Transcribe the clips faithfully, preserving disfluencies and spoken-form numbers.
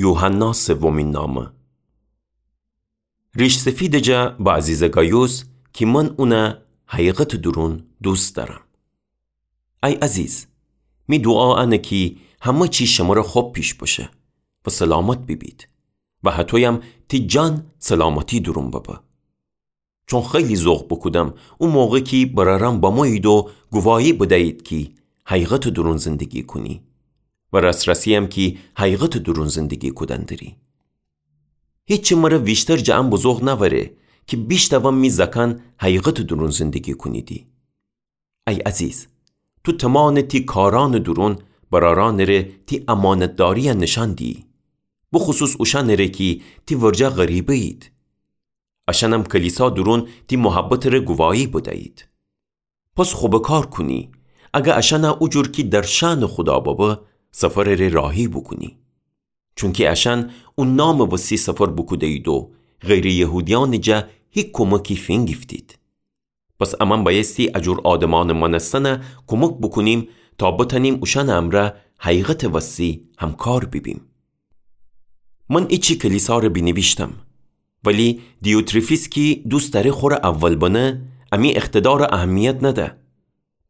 یوحنا سومین نامه. ریش‌سفیدٚ جا به عزیزٚ گایوس کی من اونَ حقیقتٚ دورون دوست دأرم. ای عزیز، می دوعا انه کی همه چی شمره خب پیش بشه و سلامت بیبید و هطویم تی جان سلامتی دورون ببه. چون خیلی ذوق بوکودم او موقع کی برأرأن بمویید و گواهی بدیید کی حقیقتٚ دورون زندگی کونی و رسرسی‌یم کی حقیقتٚ دورون زندگی کودن دری. هیچی مره ویشتر جٚه ان بزوق نأوره کی بیشتاوم می زأکأن حقیقتٚ دورون زندگی کونیدی. ای عزیز، تو تمانٚ تی کارأنٚ دورون برأرأنٚ ره تی امانتداری‌یَ نشأن دیی، بخصوص اوشأنٚ ره کی تی ورجه غریبه‌یید. اشأنم کلیسا دورون تی محبتٚ ره گواهی بدیید. پس خب کار کونی، اگه اشأنَ او جور کی در شأنٚ خودا ببه، سفرٚ ره راهی بوکونی. چونکی اشأن او نامٚ وستی سفر بوکوده‌یید و غیرٚ یهودیأنٚ جا هیچ کمکی فینگیفتید. پس امأن بأیستی ا جور آدمأنٚ مأنستنَ کمک بوکونیم تا بتأنیم اوشأنٚ امرأ حقیقتٚ وستی همکار بیبیم. من ایچی کلیسا ره بینیویشتم، ولی دیوتریفیس کی دوست دأره خوره اول بنه، امی اقتدارَ اهمیت نده.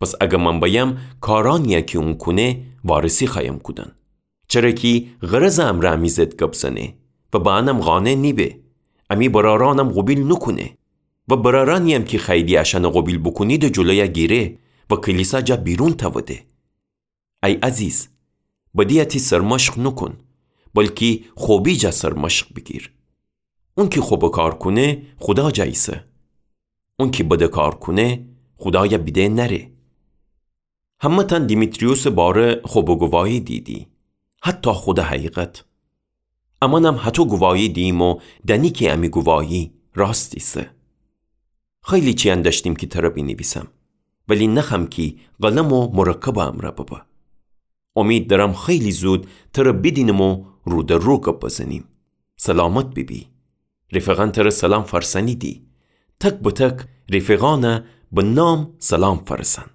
پس اگه من بأیم کارأنی‌یَ کی اون کونه وارسی خوأیم کودن. چره کی غرضٚ امرأ امی ضد گب زنه و به انم قانع نیبه، امی برأرأنم قوبیل نوکونه و برأرأنی‌یم کی خوأییدی اشأنَ قوبیل بوکونیدٚ جلویَ گیره و کلیسا جا بیرون تأوده. ای عزیز، بدی‌یَ تی سرمشق نوکون، بلکی خبی جا سرمشق بیگیر. اونکی خب کار کونه خودا جا ایسه. اونکی بد کار کونه خودایَ بیده نأره. همه‌تأن دیمیتریوسٚ باره خب گواهی دیدی، حتی خودٚ حقیقت. امأنم هطو گواهی دییم و دأنی کی امی گواهی راست ایسه. خیلی چیأن دأشتیم کی تره بینیویسم، ولی نخوأم کی قلم و مرکبٚ امرأ ببه. امید دأرم خیلی زود تره بیدینم و رو در رو گب بزنیم. سلامت بیبی. رفیقأن تره سلام فأرسأنیدی. تک به تک رفیقأنَ به نام سلام فأرسأن.